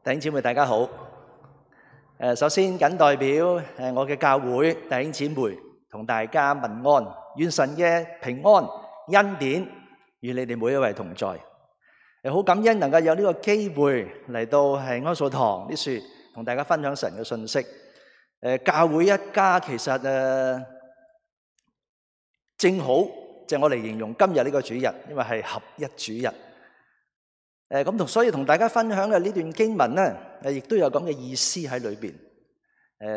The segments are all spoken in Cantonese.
弟兄姊妹大家好。首先謹代表我嘅教會弟兄姊妹同大家問安，願神嘅平安恩典與你哋每一位同在。好感恩能夠有呢個機會嚟到係安素堂啲說，同大家分享神嘅信息。教會一家其實正好就我嚟形容今日呢個主日，因為係合一主日。所以同大家分享嘅呢段經文咧，亦都有咁嘅意思喺裏邊。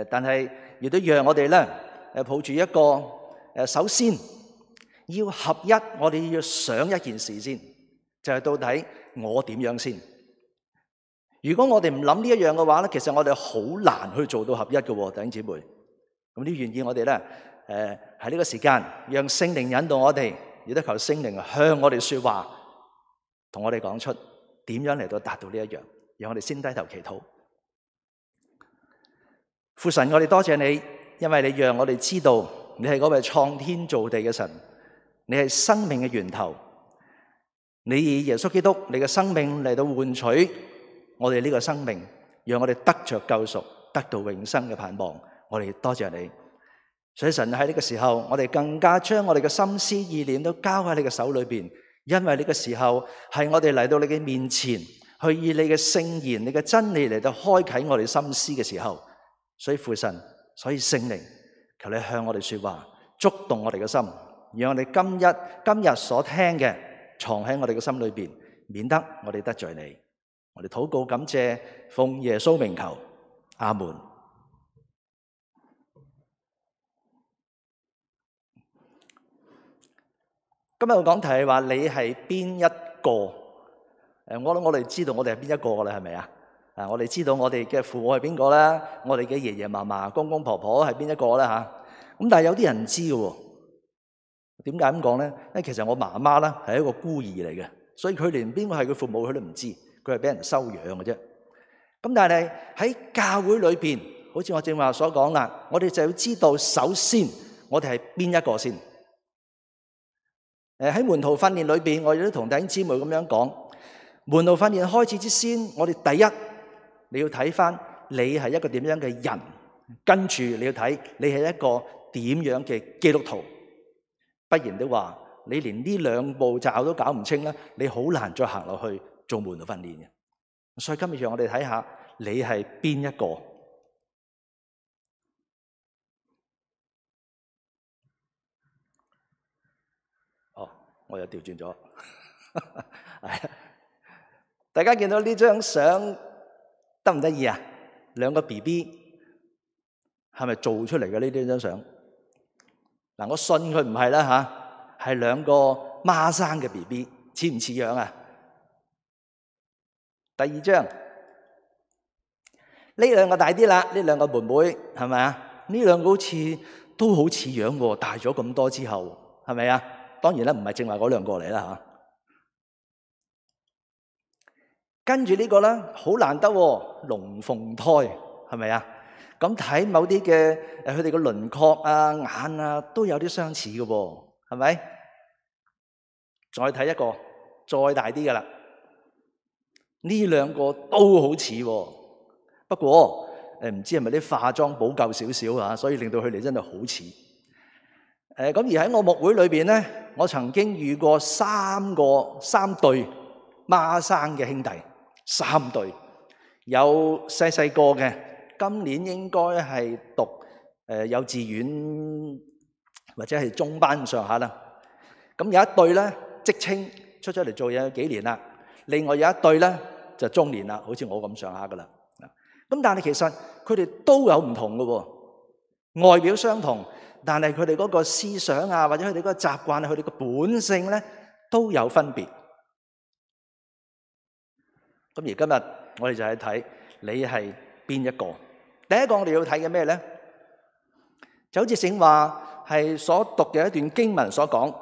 但係亦都讓我哋咧，抱住一個首先要合一，我哋要想一件事先，就係到底我點樣先。如果我哋唔諗呢一樣嘅話咧，其實我哋好難去做到合一嘅，弟兄姊妹。咁呢願意我哋咧，喺呢個時間，讓聖靈引導我哋，亦都求聖靈向我哋說話，同我哋講出點樣嚟到達到呢一樣。讓我哋先低頭祈禱。父神，我哋多謝你，因為你讓我哋知道你係嗰位創天造地嘅神，你係生命嘅源頭。你以耶穌基督你嘅生命嚟到換取我哋呢個生命，讓我哋得着救贖，得到永生嘅盼望。我哋多謝你。所以神喺呢個時候，我哋更加將我哋嘅心思意念都交喺你嘅手裏邊，因為呢個時候係我哋嚟到你嘅面前，去以你嘅聖言、你嘅真理嚟到開啟我哋心思嘅時候。所以父神，所以聖靈，求你向我哋說話，觸動我哋嘅心，讓我哋今日所聽嘅藏喺我哋嘅心裏邊，免得我哋得罪你。我哋禱告感謝，奉耶穌名求，阿門。今日我講題係話你係邊一個？我諗我哋知道我哋係邊一個噶啦，係咪啊？我哋知道我哋嘅父母係邊個啦，我哋嘅爺爺嫲嫲、公公婆婆係邊一個啦吓。咁但係有啲人唔知嘅，點解咁講咧？因為其實我媽媽咧係一個孤兒嚟嘅，所以佢連邊個係佢父母佢都唔知，佢係俾人收養嘅啫。咁但係喺教會裏邊，好似我正話所講啦，我哋就要知道，首先我哋係邊一個先。喺門徒訓練裏邊，我哋都同弟兄姊妹咁樣講，門徒訓練開始之先，我哋第一你要睇翻你係一個點樣嘅人，跟住你要睇你係一個點樣嘅基督徒。不然的話，你連呢兩步驟都搞唔清咧，你好難再行落去做門徒訓練嘅。所以今日讓我哋睇下你係邊一個。我又調轉咗，大家見到呢張相得唔得意啊？兩個 BB 係咪做出嚟嘅呢張相？嗱，我信佢唔係啦吓，係兩個孖生嘅 BB， 似唔似樣啊？第二張，呢兩個大啲啦，呢兩個妹妹係咪啊？呢兩個都好似樣喎，大咗咁多之後，係咪啊？當然啦，唔係正話嗰兩個嚟啦吓。跟住呢個咧，好難得喎，龍鳳胎係咪啊？咁睇某啲嘅佢哋嘅輪廓啊、眼啊，都有啲相似嘅喎，係咪？再睇一個再大啲嘅啦，呢兩個都好似喎，不過唔知係咪啲化妝補救少少啊，所以令到佢哋真係好似。咁而喺我牧會裏邊咧，我曾經遇過三對孖生嘅兄弟，3對，有細細個嘅，今年應該係讀幼稚園或者係中班上下啦。咁有一對咧，職青出咗嚟做嘢幾年啦，另外有一對咧就中年啦，好似我咁上下噶啦。咁但係其實佢哋都有唔同嘅喎，外表相同。但係佢哋嗰個思想啊，或者佢哋嗰個習慣啊，佢哋個本性咧都有分別。咁而今日我哋就係睇你係邊一個。第一個我哋要睇嘅咩咧？就好似聖話係所讀嘅一段經文所講，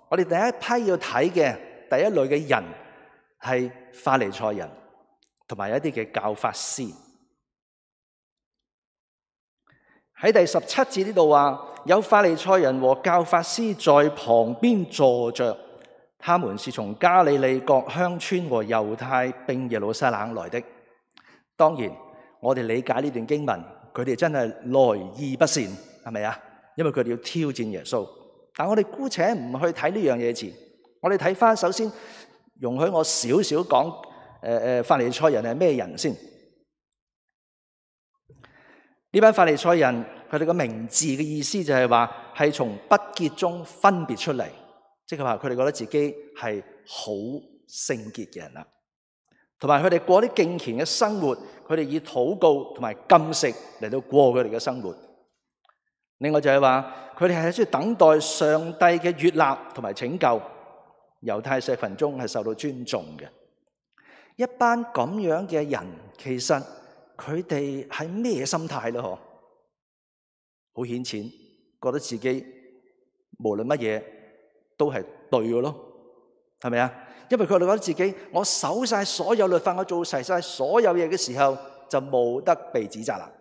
我哋第一批要睇嘅第一類嘅人係法利賽人，同埋一啲嘅教法師。喺第17節呢度話，有法利賽人和教法師在旁邊坐着，他們是從加利利各鄉村和猶太並耶路撒冷來的。當然，我哋理解呢段經文，佢哋真係來意不善，係咪啊？因為佢哋要挑戰耶穌。但我哋姑且唔去睇呢樣嘢前，我哋睇翻首先，容許我少少講法利賽人係咩人先。呢班法利賽人，佢哋個名字嘅意思就係話係從不潔中分別出嚟，即係話佢哋覺得自己係好聖潔嘅人啦。同埋佢哋過啲敬虔嘅生活，佢哋以禱告同埋禁食嚟到過佢哋嘅生活。另外就係話佢哋係需要等待上帝嘅悅納同埋拯救，猶太社群中係受到尊重嘅。一班咁樣嘅人，其實佢哋係咩心態咧？嗬，好顯淺，覺得自己無論乜嘢都係對嘅咯，係咪啊？因為佢哋覺得自己，我守晒所有律法，我做齊晒所有嘢嘅時候，就冇得被指責啦。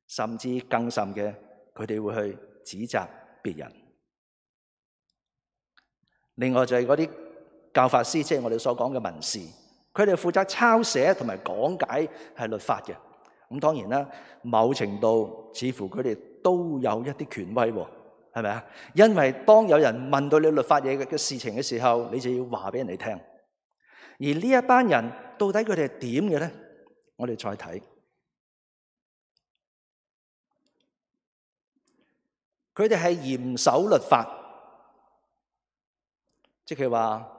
甚至更甚嘅，佢哋會去指責別人。另外就係嗰啲教法師，即係我哋所講嘅文士，佢哋負責抄寫同埋講解係律法嘅。咁當然啦，某程度似乎佢哋都有一啲權威喎。係咪啊？因為當有人問到你律法嘢嘅事情嘅時候，你就要話俾人哋聽。而呢一班人到底佢哋係點嘅咧？我哋再睇，佢哋係嚴守律法，即係話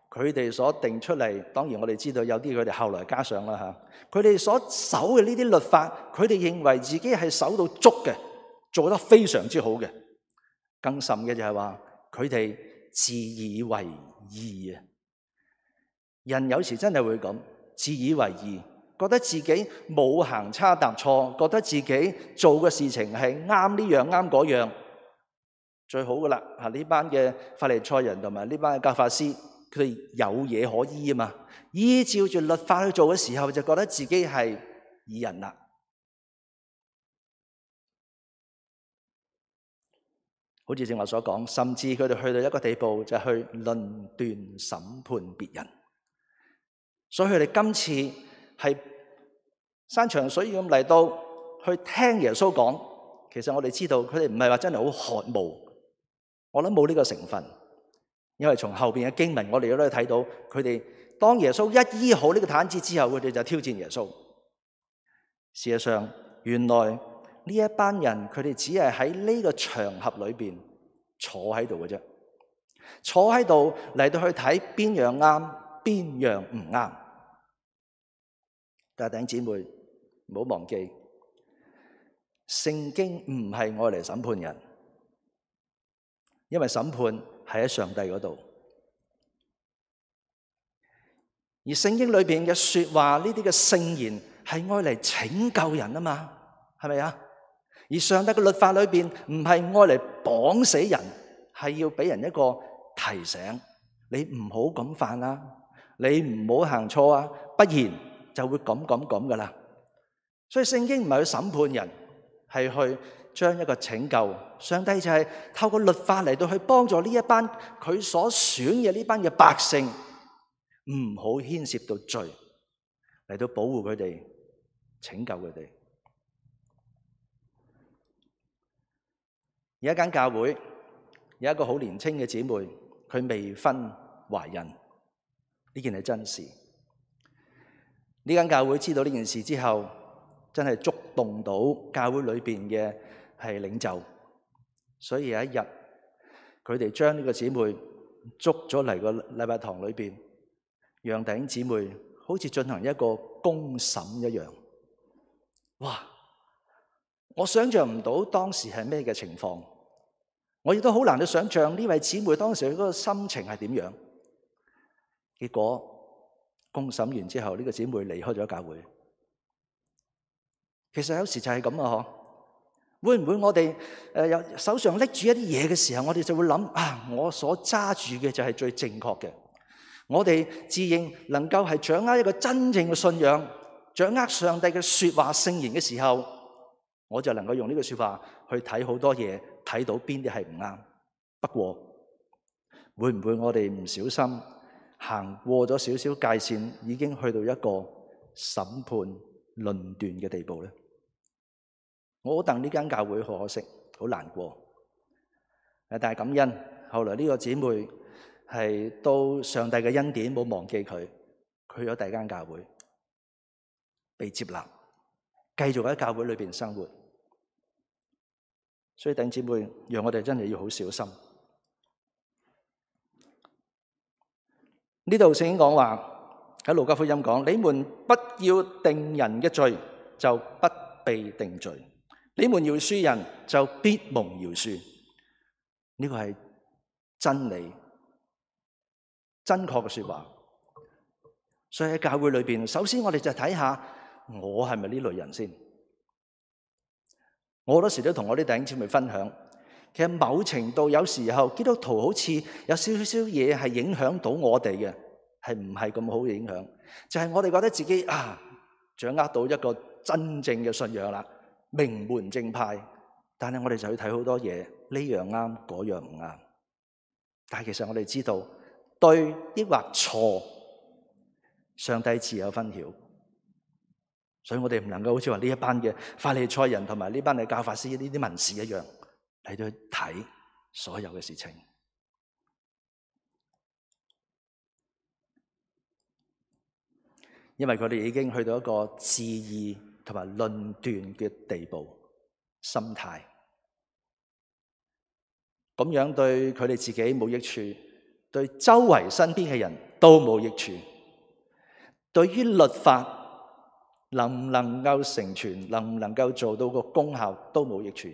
佢哋所定出嚟。當然我哋知道有啲佢哋後來加上啦嚇。佢哋所守嘅呢啲律法，佢哋認為自己係守到足嘅，做得非常之好嘅。更甚嘅就係話佢哋自以為義啊！人有時真係會咁自以為義，覺得自己冇行差踏錯，覺得自己做嘅事情係啱呢樣啱嗰樣，最好噶啦！呢班嘅法利賽人同埋呢班嘅教法師，佢哋有嘢可依啊嘛，依照住律法去做嘅時候，就覺得自己係義人啦。好似正話所講，甚至佢哋去到一個地步，就係去論斷審判別人。所以佢哋今次係山長水遠咁嚟到去聽耶穌講。其實我哋知道佢哋唔係話真係好渴慕，我諗冇呢個成分。因為從後邊嘅經文，我哋都可以睇到佢哋當耶穌一醫好呢個癱子之後，佢哋就挑戰耶穌。事實上，原來呢一班人佢哋只係喺呢個場合裏邊坐喺度嘅啫，坐喺度嚟到去睇邊樣啱，邊樣唔啱。但係弟兄姊妹唔好忘記，聖經唔係愛嚟審判人，因為審判係喺上帝嗰度。而聖經裏邊嘅說話，呢啲嘅聖言係愛嚟拯救人啊嘛，係咪啊？而上帝嘅律法裏邊唔係愛嚟綁死人，係要俾人一個提醒，你唔好咁犯啦，你唔好行錯啊，不然就會咁噶啦。所以聖經唔係去審判人，係去將一個拯救。上帝就係透過律法嚟到去幫助呢一班佢所選嘅呢班嘅百姓，唔好牽涉到罪，嚟到保護佢哋，拯救佢哋。有一間教會有一個好年輕嘅姊妹，佢未婚懷孕，呢件係真事。呢間教會知道呢件事之後，真係觸動到教會裏邊嘅係領袖，所以有一日佢哋將呢個姊妹捉咗嚟個禮拜堂裏邊，讓弟兄姊妹好似進行一個公審一樣。哇！我想象唔到當時係咩嘅情況，我亦都好難去想象呢位姊妹當時佢嗰個心情係點樣。結果公審完之後，呢個姊妹離開咗教會。其實有時就係咁啊，會唔會我哋有手上拎住一啲嘢嘅時候，我哋就會諗啊，我所揸住嘅就係最正確嘅。我哋自認能夠係掌握一個真正嘅信仰，掌握上帝嘅說話聖言嘅時候，我就能夠用呢個說話去睇好多嘢，睇到邊啲係唔啱。不過會唔會我哋唔小心行過咗少少界線，已經去到一個審判、論斷嘅地步咧？我好戥呢間教會好可惜，好難過。但係感恩，後來呢個姊妹係到上帝嘅恩典，冇忘記佢，去咗第二間教會，被接納，繼續喺教會裏邊生活。所以弟兄姊妹，讓我哋真係要好小心。呢度聖經講話喺路加福音講：你們不要定人嘅罪，就不被定罪；你們饒恕人，就必蒙饒恕。呢個係真理、真確嘅說話。所以喺教會裏邊，首先我哋就睇下我係咪呢類人先。我好多時都同我啲弟兄姊妹分享，其實某程度有時候基督徒好似有少少嘢係影響到我哋嘅，係唔係咁好嘅影響？就係我哋覺得自己掌握到一個真正嘅信仰啦，名門正派。但係我哋就要睇好多嘢，呢樣啱，嗰樣唔啱。但係其實我哋知道對抑或錯，上帝自有分曉。所以我哋唔能夠好似話呢一班嘅法利賽人同埋呢班嘅教法師呢啲文士一樣嚟到去睇所有嘅事情。因為佢哋已經去到一個質疑同埋論斷嘅地步。心態咁樣對佢哋自己冇益處，對周圍身邊嘅人都冇益處。對於律法能唔能夠成全，能唔能夠做到個功效都冇益處，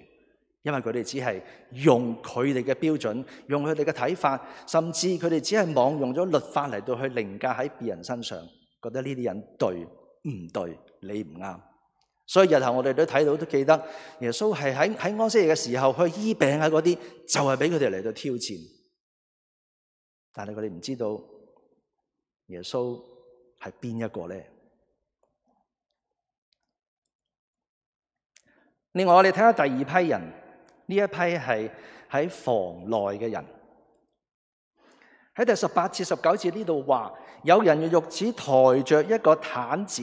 因為佢哋只係用佢哋嘅標準，用佢哋嘅睇法，甚至佢哋只係妄用咗律法嚟到去凌駕喺別人身上，覺得呢啲人對唔對，你唔啱。所以日後我哋都睇到，都記得耶穌係喺安息日嘅時候去醫病啊，嗰啲就係俾佢哋嚟到挑戰。但係佢哋唔知道耶穌係邊一個咧？另外我哋睇下第二批人，呢一批係喺房內嘅人。喺第18至19節呢度話，有人用褥子抬着一個癱子，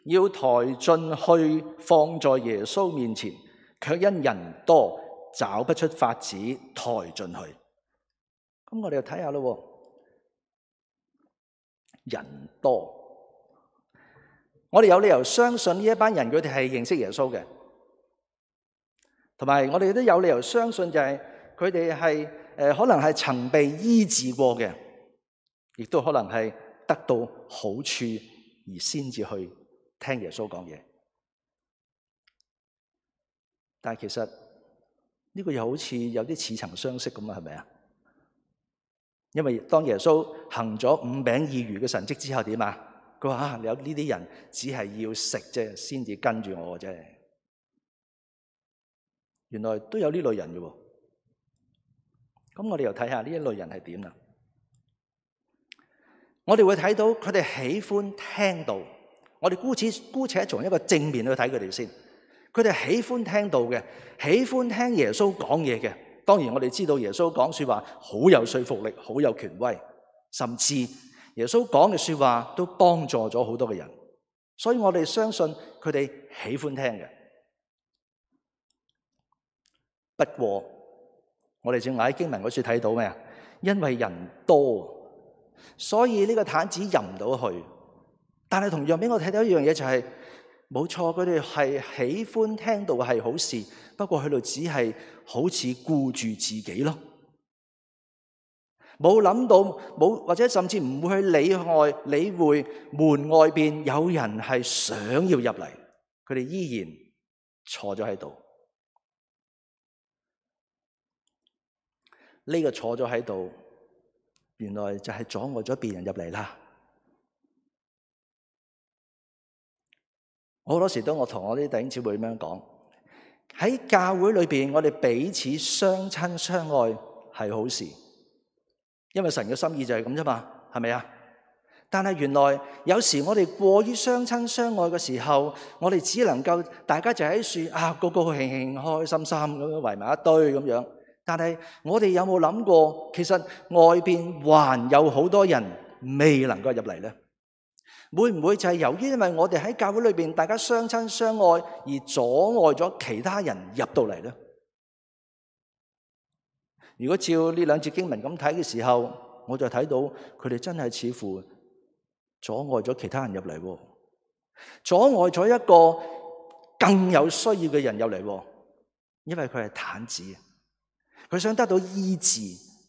要抬進去放在耶穌面前，卻因人多找不出法子抬進去。咁我哋就睇下咯，人多，我哋有理由相信呢一班人佢哋係認識耶穌嘅，同埋我哋都有理由相信就係佢哋係可能係曾被醫治過嘅，亦都可能係得到好處而先至去聽耶穌講嘢。但係其實呢個又好似有啲似曾相識咁啊，係咪啊？因為當耶穌行咗5餅2魚嘅神蹟之後點啊？佢話有呢啲人只係要食啫，先至跟住我嘅啫。原來都有呢類人嘅喎。咁我哋又睇下呢一類人係點啦。我哋會睇到佢哋喜歡聽道。我哋姑且從一個正面去睇佢哋先。佢哋喜歡聽道嘅，喜歡聽耶穌講嘢嘅。當然我哋知道耶穌講說話好有說服力，好有權威，甚至耶穌講嘅說話都幫助咗好多嘅人。所以我哋相信佢哋喜歡聽嘅。不過我哋正話喺經文嗰處睇到咩啊？因為人多，所以呢個癱子入唔到去。但係同樣俾我睇到一樣嘢就係，冇錯，佢哋係喜歡聽道係好事，不過佢哋只係好似顧住自己咯，冇諗到冇，或者甚至唔會去理會門外邊有人係想要入嚟，佢哋依然坐咗喺度。呢個坐咗喺度，原來就係阻礙咗別人入嚟啦。好多時都我同我啲弟兄姊妹咁樣講，喺教會裏邊，我哋彼此相親相愛係好事，因為神嘅心意就係咁啫嘛，係咪啊？但係原來有時我哋過於相親相愛嘅時候，我哋只能夠大家就喺樹高高興興開心心咁樣圍埋一堆咁樣。但係我哋有冇諗過，其實外邊還有好多人未能夠入嚟咧？會唔會就係由於因為我哋喺教會裏邊大家相親相愛而阻礙咗其他人入到嚟呢？如果照呢兩節經文咁睇嘅時候，我就睇到佢哋真係似乎阻礙咗其他人入嚟，阻礙咗一個更有需要嘅人入嚟，因為佢係癱子，佢想得到醫治，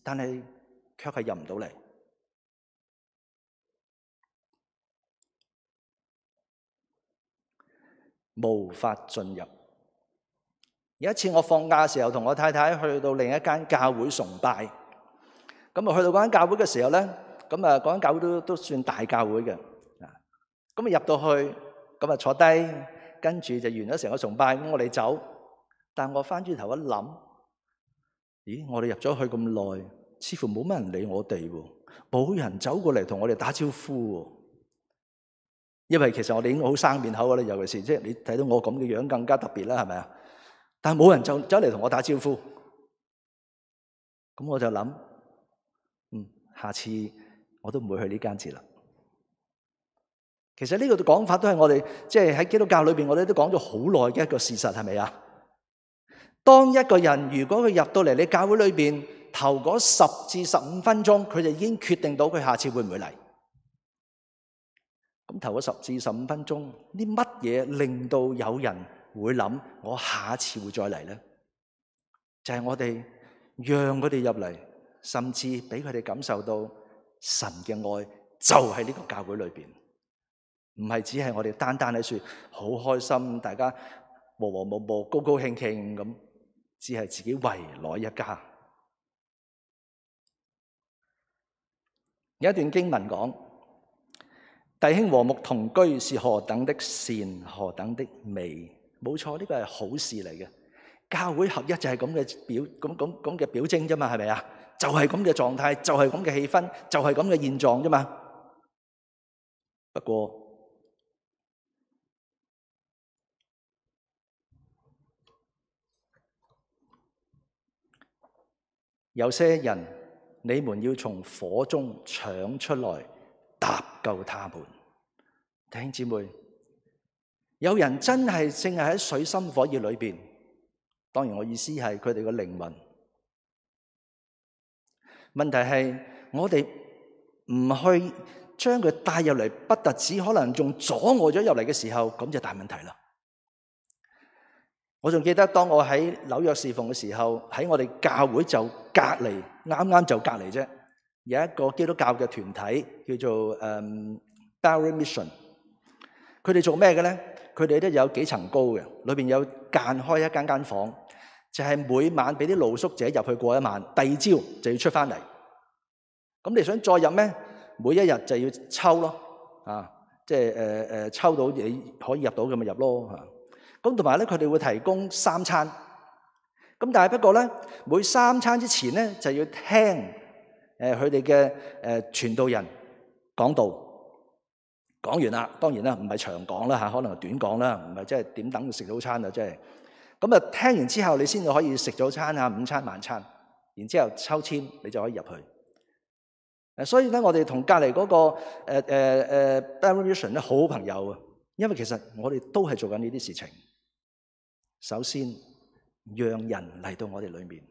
但係卻係入唔到嚟。無法進入。有一次我放假嘅時候，同我太太去到另一間教會崇拜。咁啊，去到嗰間教會嘅時候咧，咁啊，嗰間教會都算大教會嘅。咁啊，入到去，咁啊坐低，跟住就完咗成個崇拜。咁我哋走，但我翻轉頭一諗，咦，我哋入咗去咁耐，似乎冇乜人理我哋喎，冇人走過嚟同我哋打招呼喎。因為其實我哋已經好生面口㗎啦，尤其是即係你睇到我咁嘅樣更加特別啦，係咪啊？但係冇人就走嚟同我打招呼，咁我就諗，下次我都唔會去呢間字啦。其實呢個講法都係我哋即係喺基督教裏邊，我哋都講咗好耐嘅一個事實，係咪啊？當一個人如果佢入到嚟你教會裏邊頭嗰10至15分鐘，佢就已經決定到佢下次會唔會嚟。咁頭嗰10至15分鐘，啲乜嘢令到有人會諗我下次會再嚟呢？就係我哋讓佢哋入嚟，甚至俾佢哋感受到神嘅愛就喺呢個教會裏邊，唔係只係我哋單單喺說好開心，大家和和睦睦、高高興興咁，只係自己圍內一家。有一段經文講，弟兄和睦同居是何等的善，何等的美。冇錯，呢個係好事嚟嘅。教會合一就係咁嘅表徵啫嘛，係咪啊？就係咁嘅狀態，就係咁嘅氣氛，就係咁嘅現狀啫嘛。不過有些人，你們要從火中搶出來，搭救他們。弟兄姊妹，有人真係淨係喺水深火熱裏邊，當然我意思係佢哋嘅靈魂。問題係我哋唔去將佢帶入嚟，不特止可能仲阻礙咗入嚟嘅時候，咁就大問題啦。我仲記得當我喺紐約侍奉嘅時候，喺我哋教會就隔離，啱啱就隔離啫，有一個基督教嘅團體叫做Barry Mission。佢哋做咩嘅咧？佢哋都有幾層高嘅，裏邊有間開一間房，就係每晚俾啲露宿者入去過一晚，第二朝就要出翻嚟。咁你想再入咩？每一日就要抽咯，即係抽到你可以入到咁咪入咯嚇。咁同埋咧，佢哋會提供3餐。咁但係不過咧，每3餐之前咧就要聽佢哋嘅傳道人講道。講完啦，當然啦，唔係長講啦嚇，可能係短講啦，唔係即係點等食早餐啊，即係咁啊！聽完之後，你先至可以食早餐啊、午餐、晚餐，然之後抽籤，你就可以入去。所以咧，我哋同隔離嗰個Barry Mission 咧好朋友啊，因為其實我哋都係做緊呢啲事情。首先，讓人嚟到我哋裏面，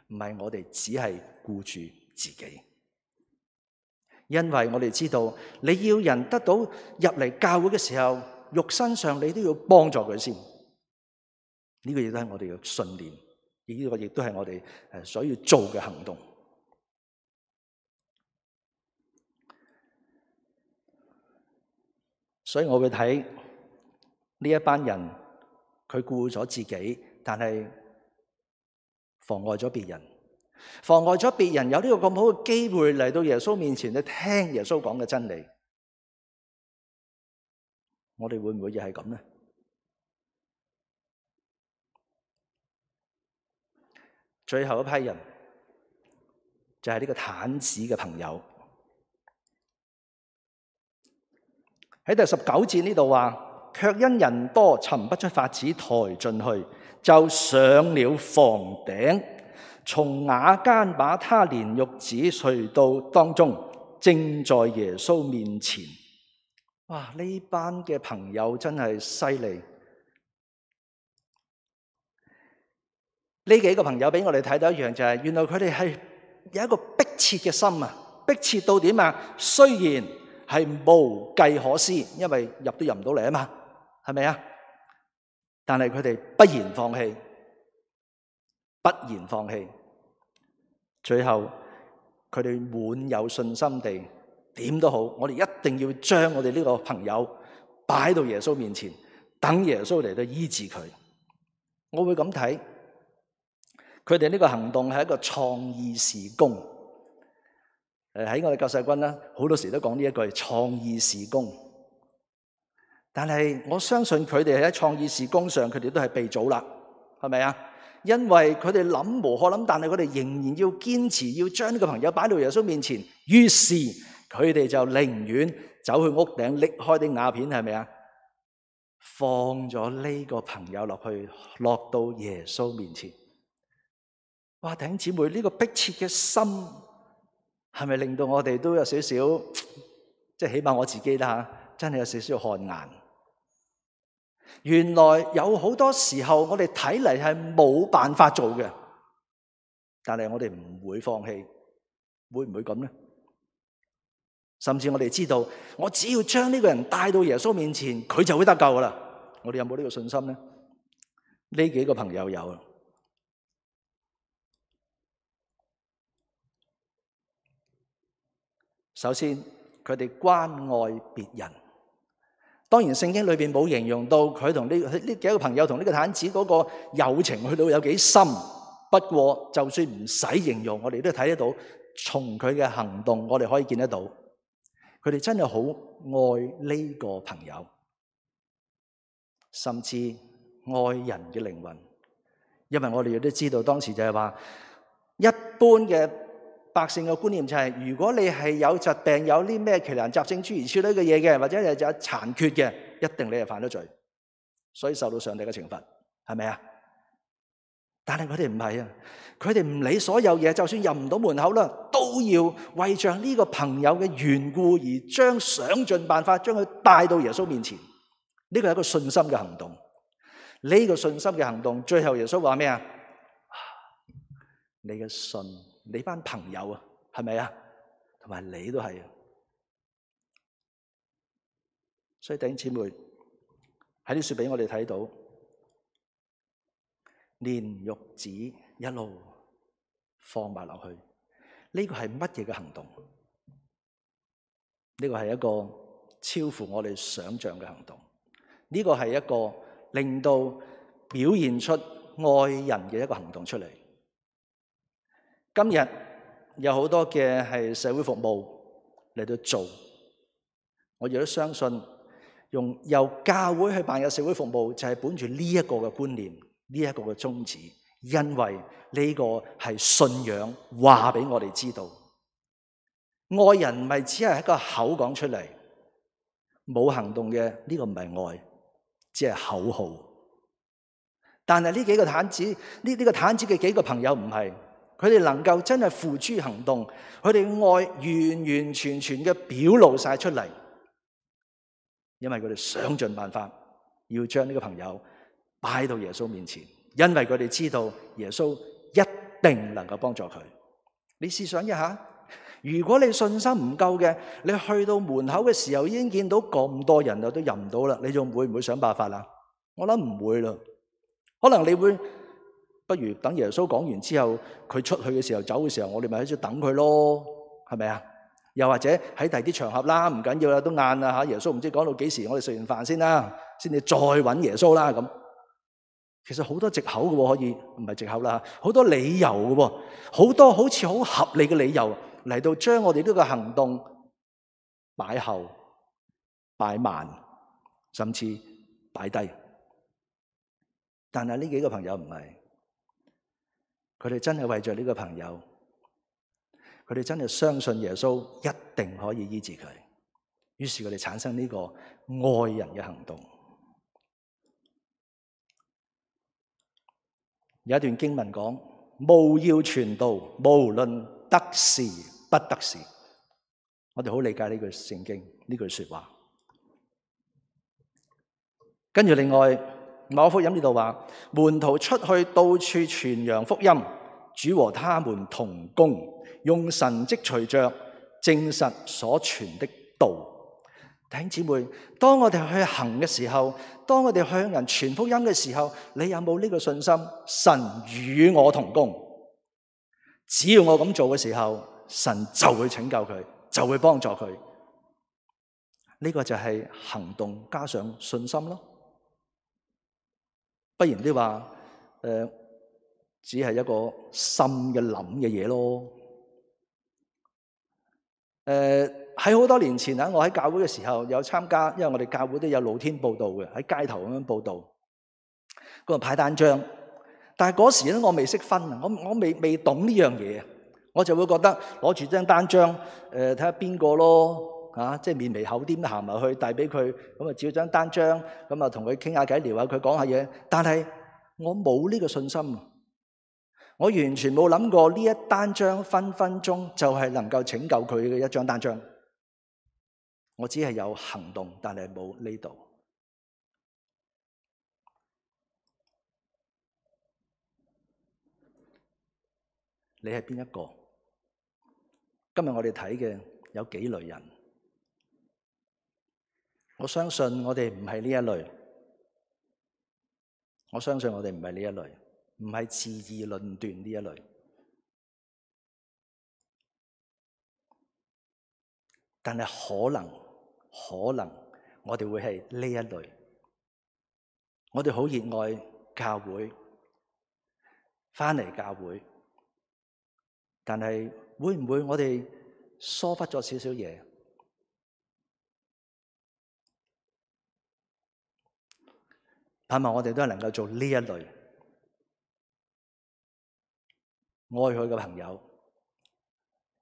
唔係我哋只係顧住自己。因為我哋知道，你要人得到入嚟教會嘅時候，肉身上你都要幫助佢先。呢個亦都係我哋嘅信念，呢個亦都係我哋所要做嘅行動。所以我會睇呢一班人，佢顧咗自己，但係妨礙咗別人。妨礙咗別人有呢個咁好嘅機會嚟到耶穌面前去聽耶穌講嘅真理，我哋會唔會又係咁呢？最後一批人就係呢個癱子嘅朋友。喺第19節呢度話，卻因人多，尋不出法子抬進去，就上了房頂。從瓦間把他連褥子垂到當中，正在耶穌面前。哇！呢班嘅朋友真係犀利。呢幾個朋友俾我哋睇到一樣，就係原來佢哋係有一個迫切嘅心啊！迫切到點啊？雖然係無計可施，因為入都入唔到嚟啊嘛，係咪啊？但係佢哋不言放棄，不言放棄。最後佢哋滿有信心地，點都好，我哋一定要將我哋呢個朋友擺到耶穌面前，等耶穌嚟到醫治佢。我會咁睇，佢哋呢個行動係一個創意事工。喺我哋救世軍啦，好多時都講呢一句創意事工。但係我相信佢哋喺創意事工上，佢哋都係被造啦，係咪啊？因為佢哋諗無可諗，但係佢哋仍然要堅持，要將呢個朋友擺到耶穌面前。於是佢哋就寧願走去屋頂拎開啲瓦片，係咪啊？放咗呢個朋友落去，落到耶穌面前。哇！弟兄姊妹，呢個迫切嘅心係咪令到我哋都有少少，即係起碼我自己啦，真係有少少汗顏。原來有好多時候我哋睇嚟係冇辦法做嘅，但係我哋唔會放棄，會唔會咁呢？甚至我哋知道，我只要將呢個人帶到耶穌面前，佢就會得救噶啦。我哋有冇呢個信心呢？呢幾個朋友有。首先，佢哋關愛別人。當然聖經裏邊冇形容到佢同呢幾個朋友同呢個癱子嗰個友情去到有幾深。不過就算唔使形容，我哋都睇得到，從佢嘅行動我哋可以見得到，佢哋真係好愛呢個朋友，甚至愛人嘅靈魂。因為我哋亦都知道當時就係話，一般嘅百姓嘅觀念就係，如果你係有疾病，有啲咩奇難雜症諸如此類嘅嘢嘅，或者係有殘缺嘅，一定你係犯咗罪，所以受到上帝嘅懲罰，係咪啊？但係佢哋唔係啊，佢哋唔理所有嘢，就算入唔到門口啦，都要為着呢個朋友嘅緣故而將想盡辦法將佢帶到耶穌面前。呢個係一個信心嘅行動。呢個信心嘅行動，最後耶穌話咩啊？你嘅信。你班朋友啊，係咪啊？同埋你都係啊。所以弟兄姊妹喺啲書俾我哋睇到，連褥子一路放埋落去，呢個係乜嘢嘅行動？呢個係一個超乎我哋想象嘅行動。呢個係一個令到表現出愛人嘅一個行動出嚟。今日有好多嘅係社會服務嚟到做，我亦都相信由教會去辦嘅社會服務就係本住呢一個嘅觀念，呢一個嘅宗旨，因為呢個係信仰話俾我哋知道，愛人唔係只係一個口講出嚟，冇行動嘅呢個唔係愛，只係口號。但係呢幾個癱子，呢個癱子嘅幾個朋友唔係。佢哋能夠真係付諸行動，佢哋愛完完全全嘅表露晒出嚟，因為佢哋想盡辦法要將呢個朋友擺到耶穌面前，因為佢哋知道耶穌一定能夠幫助佢。你試想一下，如果你信心唔夠嘅，你去到門口嘅時候已經見到咁多人都入唔到啦，你仲會唔會想辦法啊？我諗唔會啦，可能你會。不如等耶穌講完之後，佢出去嘅時候，走嘅時候，我哋咪喺度等佢咯，係咪啊？又或者喺第啲場合啦，唔緊要啦，都晏啦吓，耶穌唔知講到幾時，我哋食完飯先啦，先至再揾耶穌啦咁。其實好多藉口嘅，可以唔係藉口啦，好多理由嘅，好多好似好合理嘅理由嚟到將我哋呢個行動擺後、擺慢，甚至擺低。但係呢幾個朋友唔係。佢哋真係為着呢個朋友，佢哋真係相信耶穌一定可以醫治佢，於是佢哋產生呢個愛人嘅行動。有一段經文講：務要傳道，無論得時不得時。我哋好理解呢句聖經，呢句說話。跟住另外馬可福音呢度話，門徒出去到處傳揚福音，主和他們同工，用神蹟隨着證實所傳的道。弟兄姊妹，當我哋去行嘅時候，當我哋向人傳福音嘅時候，你有冇呢個信心？神與我同工，只要我咁做嘅時候，神就會拯救佢，就會幫助佢。呢個就係行動加上信心咯。不然啲話只係一個心嘅諗嘅嘢咯。喺好多年前啊，我喺教會嘅時候有參加，因為我哋教會都有露天佈道嘅，喺街頭咁樣佈道，咁啊派單張。但係嗰時咧，我未識分啊，我未懂呢樣嘢，我就會覺得攞住張單張，睇下邊個咯，即係面皮厚啲咁行埋去遞俾佢，咁啊照張單張，咁啊同佢傾下偈聊下佢講下嘢。但係我冇呢個信心，我完全冇諗過呢一單張分分鐘就係能夠拯救佢嘅一張單張。我只係有行動，但係冇呢度。你係邊一個？今日我哋睇嘅有幾類人？我相信我哋唔係呢一類。我相信我哋唔係呢一類，唔係自義論斷呢一類。但係可能我哋會係呢一類。我哋好熱愛教會，返嚟教會，但係會唔會我哋疏忽咗少少嘢？盼望我哋都係能夠做呢一類，愛佢嘅朋友，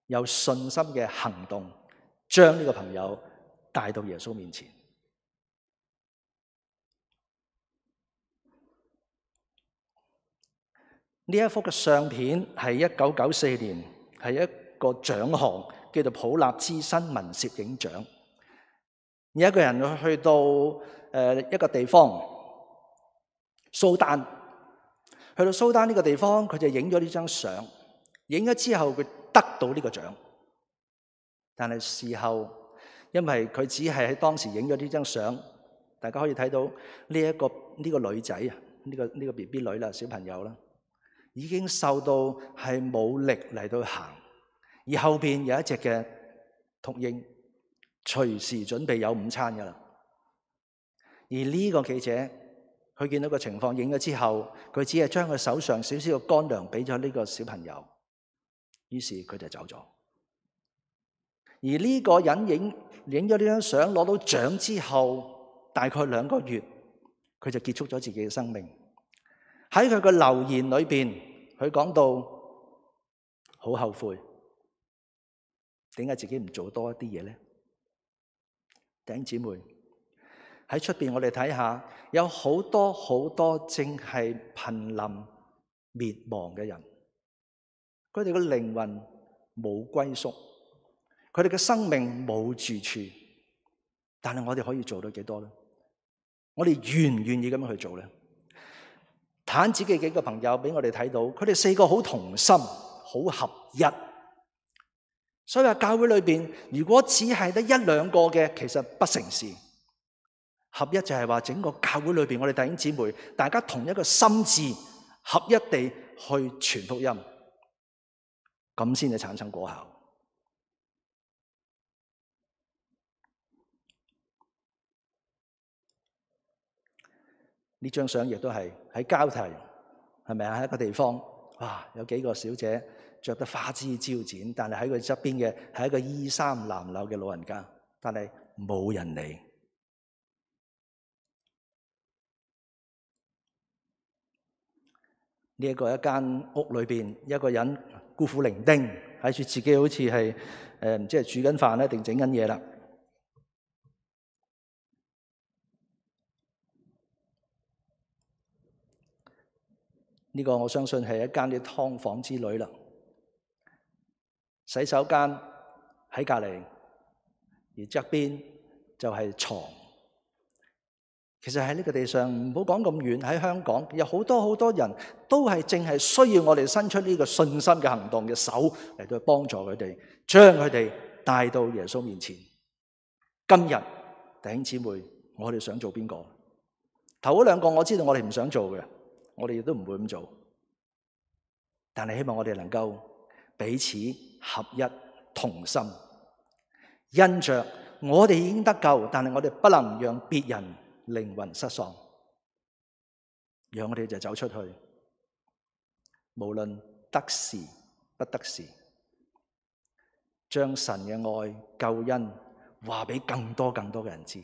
有信心嘅行動，將呢個朋友帶到耶穌面前。呢一幅嘅相片係1994年，係一個獎項，叫做普立茲新聞攝影獎。有一個人去到一個地方，蘇丹，去到蘇丹呢個地方，佢就影咗呢張相，影咗之後佢得到呢個獎。但係事後，因為佢只係喺當時影咗呢張相，大家可以睇到呢個女仔啊，呢個 BB 女啦，小朋友啦，已經瘦到係冇力嚟到行，而後邊有一隻嘅禿鷹，隨時準備有午餐噶啦。而呢個記者，佢見到個情況，影咗之後，佢只係將佢手上少少嘅乾糧俾咗呢個小朋友，於是佢就走咗。而呢個人影咗呢張相，攞到獎之後，大概2個月，佢就結束咗自己嘅生命。喺佢嘅留言裏邊，佢講到好後悔，點解自己唔做多一啲嘢咧？弟兄姊妹，喺出邊我哋睇下，有好多好多正係瀕臨滅亡嘅人，佢哋嘅靈魂冇歸宿，佢哋嘅生命冇住處，但係我哋可以做到幾多咧？我哋願唔願意咁樣去做咧？毯子嘅幾個朋友俾我哋睇到，佢哋4個好同心，好合一。所以話教會裏邊，如果只係得1、2個嘅，其實不成事。合一就係話整個教會裏邊，我哋弟兄姊妹，大家同一個心志，合一地去傳福音，咁先至產生果效。呢張相亦都係喺交替，係咪啊？喺一個地方，哇，有幾個小姐着得花枝招展，但係喺佢側邊嘅係一個衣衫襤褸嘅老人家，但係冇人理。呢一間屋裏邊，一個人孤苦伶仃，睇住自己好似係唔知係煮緊飯咧定整緊嘢啦。呢個我相信係一間啲劏房之類啦。洗手間喺隔離，而側邊就係床。其實喺呢個地上，唔好講咁遠，喺香港有好多人都係淨係需要我哋伸出呢個信心嘅行動嘅手嚟到幫助佢哋，將佢哋帶到耶穌面前。今日弟兄姊妹，我哋想做邊個？頭嗰兩個我知道我哋唔想做嘅，我哋亦都唔會咁做。但係希望我哋能夠彼此合一同心，因着我哋已經得救，但係我哋不能讓別人靈魂失喪，讓我哋就走出去，無論得時不得時，將神嘅愛救恩話俾更多嘅人知，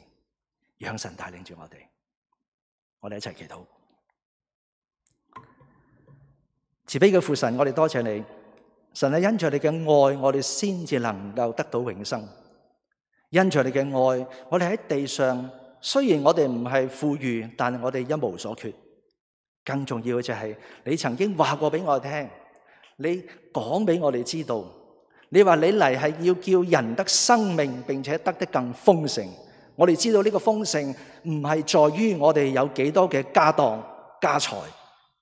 讓神帶領住我哋一齊祈禱。慈悲嘅父神，我哋多謝你，神係因着你嘅愛，我哋先至能夠得到永生。因着你嘅愛，我哋喺地上，雖然我哋唔係富裕，但係我哋一無所缺。更重要嘅就係你曾經話過俾我聽，你講俾我哋知道，你話你嚟係要叫人得生命，並且得更豐盛。我哋知道呢個豐盛唔係在於我哋有幾多嘅家當家財，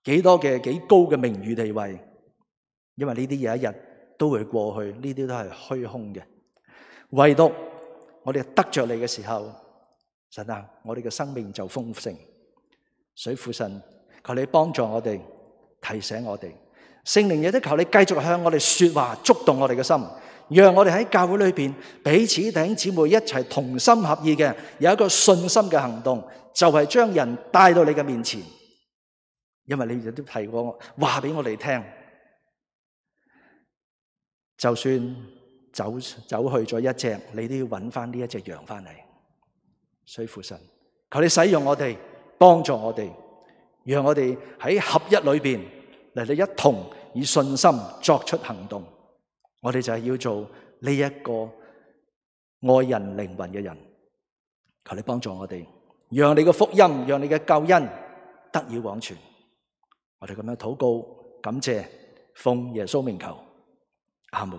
幾高嘅名譽地位，因為呢啲有一日都會過去，呢啲都係虛空嘅。唯獨我哋得着你嘅時候，神啊，我哋嘅生命就豐盛。所以父神，求你幫助我哋，提醒我哋，聖靈亦都求你繼續向我哋說話，觸動我哋嘅心，讓我哋喺教會裏邊彼此弟兄姊妹一齊同心合意嘅，有一個信心嘅行動，就係將人帶到你嘅面前。因為你亦都提過話俾我哋聽，就算走去咗一隻，你都要揾翻呢一隻羊翻嚟。所以父神，求你使用我哋，幫助我哋，讓我哋喺合一裏邊嚟到一同以信心作出行動。我哋就係要做呢一個愛人靈魂嘅人。求你幫助我哋，讓你嘅福音，讓你嘅救恩得以往傳。我哋咁樣禱告，感謝，奉耶穌名求，阿門。